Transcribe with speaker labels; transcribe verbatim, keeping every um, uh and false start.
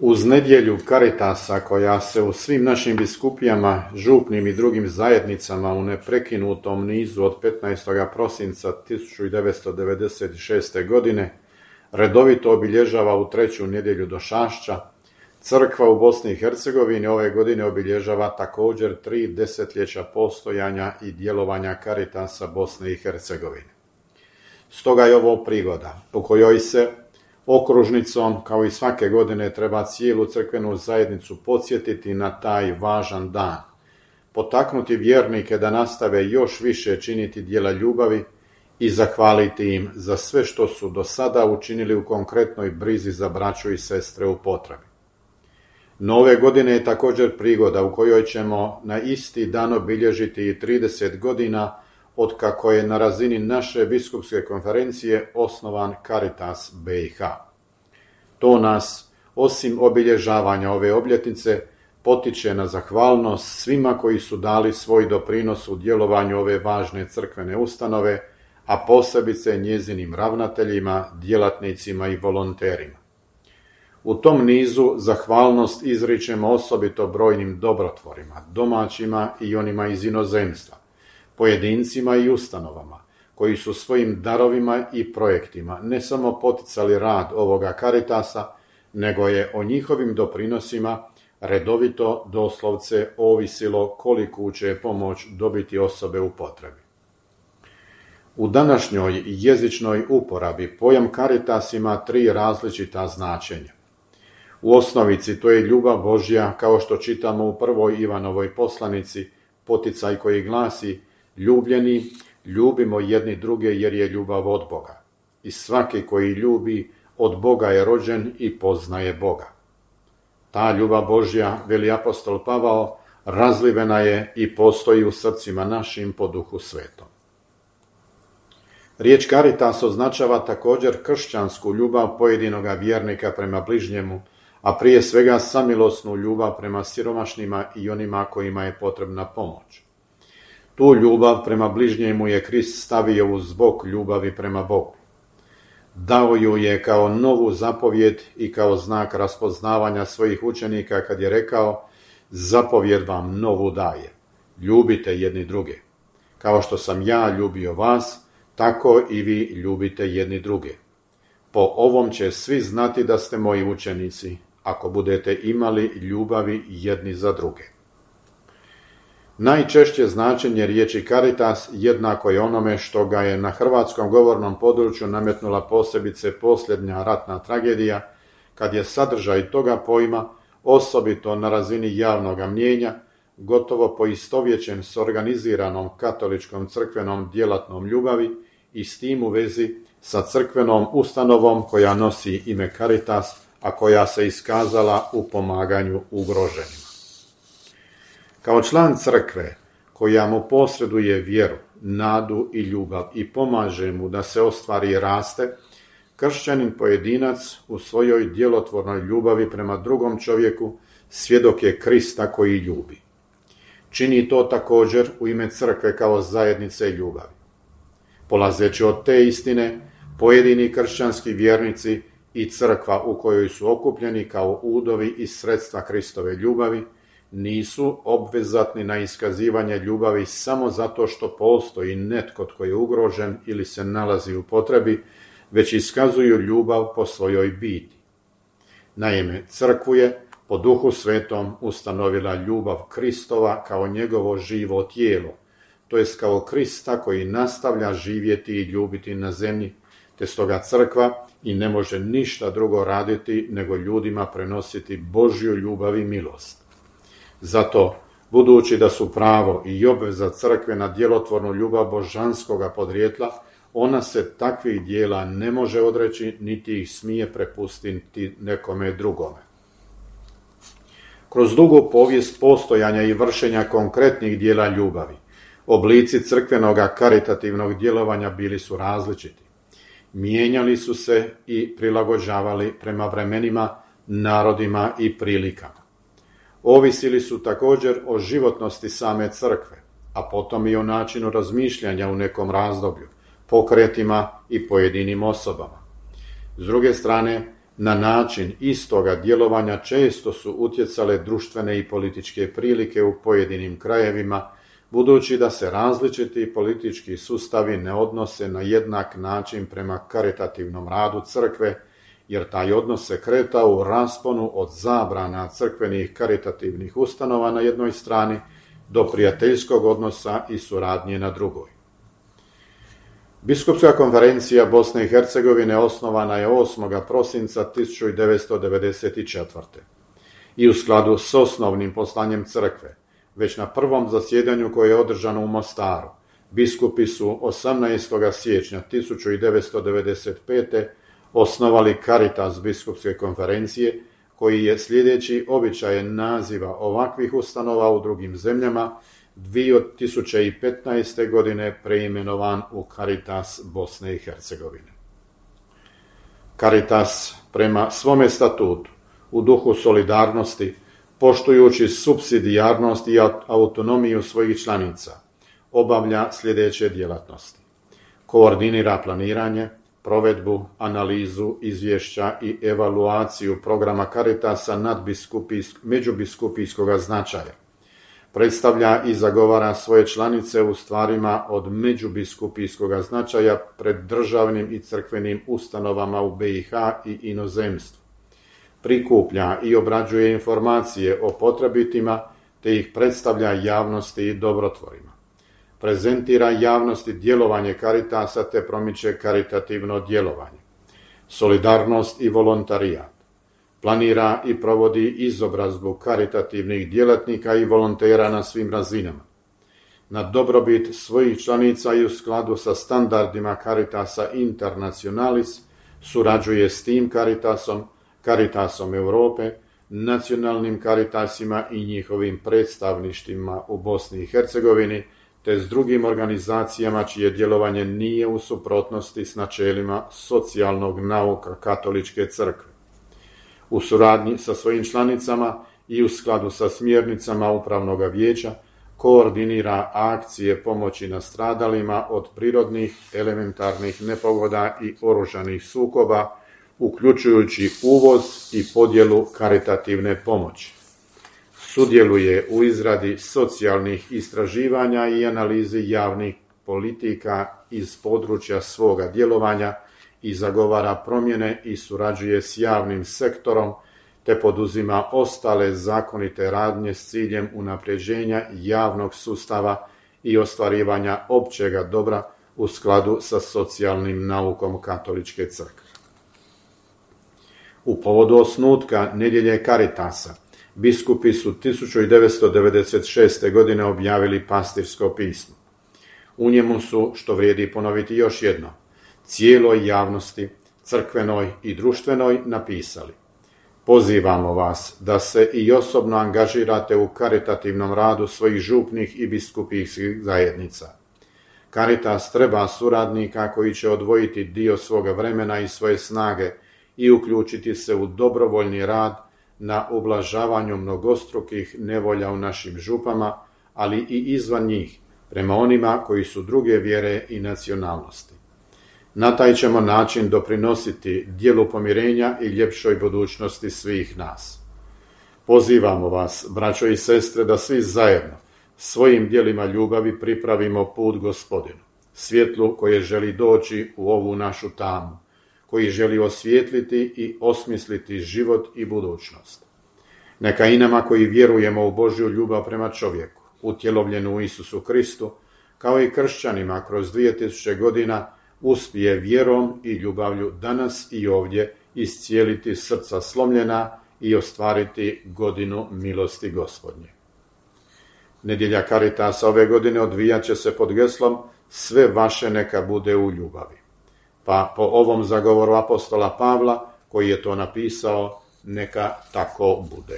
Speaker 1: Uz nedjelju Caritasa koja se u svim našim biskupijama, župnim i drugim zajednicama u neprekinutom nizu od petnaestog prosinca tisuću devetsto devedeset šeste. godine redovito obilježava u treću nedjelju Došašća, Crkva u Bosni i Hercegovini ove godine obilježava također tri desetljeća postojanja i djelovanja Caritasa Bosne i Hercegovine. Stoga je ovo prigoda po kojoj se okružnicom, kao i svake godine, treba cijelu crkvenu zajednicu podsjetiti na taj važan dan, potaknuti vjernike da nastave još više činiti djela ljubavi i zahvaliti im za sve što su do sada učinili u konkretnoj brizi za braću i sestre u potrebi. No ove godine je također prigoda u kojoj ćemo na isti dan obilježiti i trideset godina od kako je na razini naše biskupske konferencije osnovan Caritas B i H. To nas, osim obilježavanja ove obljetnice, potiče na zahvalnost svima koji su dali svoj doprinos u djelovanju ove važne crkvene ustanove, a posebice njezinim ravnateljima, djelatnicima i volonterima. U tom nizu zahvalnost izričemo osobito brojnim dobrotvorima, domaćima i onima iz inozemstva, pojedincima i ustanovama, koji su svojim darovima i projektima ne samo poticali rad ovoga Caritasa, nego je o njihovim doprinosima redovito doslovce ovisilo koliku će pomoć dobiti osobe u potrebi. U današnjoj jezičnoj uporabi pojam Caritas ima tri različita značenja. U osnovici to je ljubav Božja, kao što čitamo u prvoj Ivanovoj poslanici, poticaj koji glasi: ljubljeni, ljubimo jedni druge jer je ljubav od Boga. I svaki koji ljubi od Boga je rođen i poznaje Boga. Ta ljubav Božja, veli apostol Pavao, razlivena je i postoji u srcima našim po Duhu Svetom. Riječ Caritas označava također kršćansku ljubav pojedinoga vjernika prema bližnjemu, a prije svega samilosnu ljubav prema siromašnima i onima kojima je potrebna pomoć. Tu ljubav prema bližnjemu je Krist stavio uz bok ljubavi prema Bogu. Dao ju je kao novu zapovjed i kao znak raspoznavanja svojih učenika kad je rekao: zapovjed vam novu daje, ljubite jedni druge. Kao što sam ja ljubio vas, tako i vi ljubite jedni druge. Po ovom će svi znati da ste moji učenici, ako budete imali ljubavi jedni za druge. Najčešće značenje riječi Caritas jednako je onome što ga je na hrvatskom govornom području nametnula posebice posljednja ratna tragedija, kad je sadržaj toga pojma, osobito na razini javnog mnijenja, gotovo poistovjećen s organiziranom katoličkom crkvenom djelatnom ljubavi i s tim u vezi sa crkvenom ustanovom koja nosi ime Caritas, a koja se iskazala u pomaganju ugroženima. Kao član crkve koja mu posreduje vjeru, nadu i ljubav i pomaže mu da se ostvari i raste, kršćanin pojedinac u svojoj djelotvornoj ljubavi prema drugom čovjeku svjedok je Krista koji ljubi. Čini to također u ime crkve kao zajednice ljubavi. Polazeći od te istine, pojedini kršćanski vjernici i crkva u kojoj su okupljeni kao udovi i sredstva Kristove ljubavi nisu obvezatni na iskazivanje ljubavi samo zato što postoji netko tko je ugrožen ili se nalazi u potrebi, već iskazuju ljubav po svojoj biti. Naime, crkvu je po Duhu Svetom ustanovila ljubav Kristova kao njegovo živo tijelo, to jest kao Krista koji nastavlja živjeti i ljubiti na zemlji, te stoga crkva i ne može ništa drugo raditi nego ljudima prenositi Božju ljubav i milost. Zato, budući da su pravo i obveza crkve na djelotvornu ljubav božanskoga podrijetla, ona se takvih dijela ne može odreći, niti ih smije prepustiti nekome drugome. Kroz dugu povijest postojanja i vršenja konkretnih dijela ljubavi, oblici crkvenoga karitativnog djelovanja bili su različiti. Mijenjali su se i prilagođavali prema vremenima, narodima i prilikama. Ovisili su također o životnosti same crkve, a potom i o načinu razmišljanja u nekom razdoblju, pokretima i pojedinim osobama. S druge strane, Na način istoga djelovanja često su utjecale društvene i političke prilike u pojedinim krajevima, budući da se različiti politički sustavi ne odnose na jednak način prema karitativnom radu crkve, jer taj odnos se kretao u rasponu od zabrana crkvenih karitativnih ustanova na jednoj strani do prijateljskog odnosa i suradnje na drugoj. Biskupska konferencija Bosne i Hercegovine osnovana je osmog prosinca tisuću devetsto devedeset četvrte. i u skladu s osnovnim poslanjem crkve. Već na prvom zasjedanju koje je održano u Mostaru, biskupi su osamnaestog siječnja tisuću devetsto devedeset pete. osnovali Caritas biskupske konferencije, koji je sljedeći običajen naziva ovakvih ustanova u drugim zemljama dvije tisuće petnaeste. godine preimenovan u Caritas Bosne i Hercegovine. Caritas prema svome statutu, u duhu solidarnosti, poštujući supsidijarnost i autonomiju svojih članica, obavlja sljedeće djelatnosti. Koordinira planiranje, provedbu, analizu, izvješća i evaluaciju programa Caritasa međubiskupijskog značaja. Predstavlja i zagovara svoje članice u stvarima od međubiskupijskog značaja pred državnim i crkvenim ustanovama u B i H i inozemstvu. Prikuplja i obrađuje informacije o potrebitima te ih predstavlja javnosti i dobrotvorima. Prezentira javnosti djelovanje Caritasa te promiče karitativno djelovanje. Solidarnost i volontarijat. Planira i provodi izobrazbu karitativnih djelatnika i volontera na svim razinama. Na dobrobit svojih članica i u skladu sa standardima Caritasa Internationalis surađuje s tim Caritasom, Caritasom Europe, nacionalnim Caritasima i njihovim predstavništvima u Bosni i Hercegovini, te s drugim organizacijama čije djelovanje nije u suprotnosti s načelima socijalnog nauka katoličke crkve. U suradnji sa svojim članicama i u skladu sa smjernicama Upravnog vijeća koordinira akcije pomoći nastradalima od prirodnih, elementarnih nepogoda i oružanih sukoba, uključujući uvoz i podjelu karitativne pomoći. Sudjeluje u izradi socijalnih istraživanja i analizi javnih politika iz područja svoga djelovanja i zagovara promjene i surađuje s javnim sektorom, te poduzima ostale zakonite radnje s ciljem unapređenja javnog sustava i ostvarivanja općega dobra u skladu sa socijalnim naukom katoličke crkve. U povodu osnutka Nedjelje Caritasa, biskupi su tisuću devetsto devedeset šeste. godine objavili pastirsko pismo. U njemu su, što vrijedi ponoviti još jedno, cijeloj javnosti, crkvenoj i društvenoj napisali: pozivamo vas da se i osobno angažirate u karitativnom radu svojih župnih i biskupijskih zajednica. Caritas treba suradnika koji će odvojiti dio svoga vremena i svoje snage i uključiti se u dobrovoljni rad na ublažavanju mnogostrukih nevolja u našim župama, ali i izvan njih, prema onima koji su druge vjere i nacionalnosti. Na taj ćemo način doprinositi djelu pomirenja i ljepšoj budućnosti svih nas. Pozivamo vas, braćo i sestre, da svi zajedno svojim djelima ljubavi pripravimo put Gospodinu, svjetlu koje želi doći u ovu našu tamu, koji želi osvijetliti i osmisliti život i budućnost. Neka i nama koji vjerujemo u Božju ljubav prema čovjeku, utjelovljenu u Isusu Kristu, kao i kršćanima kroz dvije tisuće godina, uspije vjerom i ljubavlju danas i ovdje iscijeliti srca slomljena i ostvariti godinu milosti Gospodnje. Nedjelja Caritasa ove godine odvijat će se pod geslom sve vaše neka bude u ljubavi. Pa po ovom zagovoru apostola Pavla, koji je to napisao, neka tako bude.